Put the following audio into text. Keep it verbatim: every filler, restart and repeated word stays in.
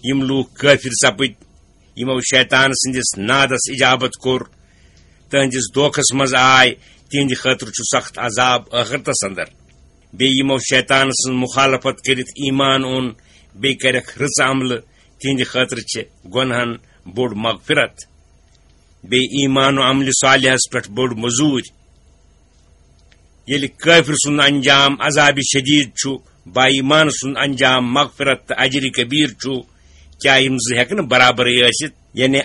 یِم لوٗکھ کٲفِر سپٕدۍ، یِمو شیطان سٕنٛدِس نادس اجابت کوٚر، تہنٛدِس دھوکس منٛز آے، تِہنٛدِ خٲطرٕ چھُ سخت عذاب ٲخرتس اندر۔ بیٚیہِ یِمو شیطان سٕنٛز مخالفت کٔرِتھ ایمان اوٚن، بیٚیہِ کَرٮ۪کھ رٕژ عملہٕ، تِہنٛدِ خٲطرٕ چھِ گۄنہَن بوٚڑ مغفرت۔ بیٚیہِ ایمان و عملِ صالحس پٮ۪ٹھ بٔڑ مٔزوٗرۍ۔ ییٚلہِ کٲفِر سُنٛد انجام عذابِ شدیٖد چھُ، با ایمان سُنٛد انجام مغفرت تہٕ اجرِ کبیٖر چھُ، کیٛاہ یِم زٕ ہٮ۪کہٕ نہٕ برابرٕے ٲسِتھ؟ یعنی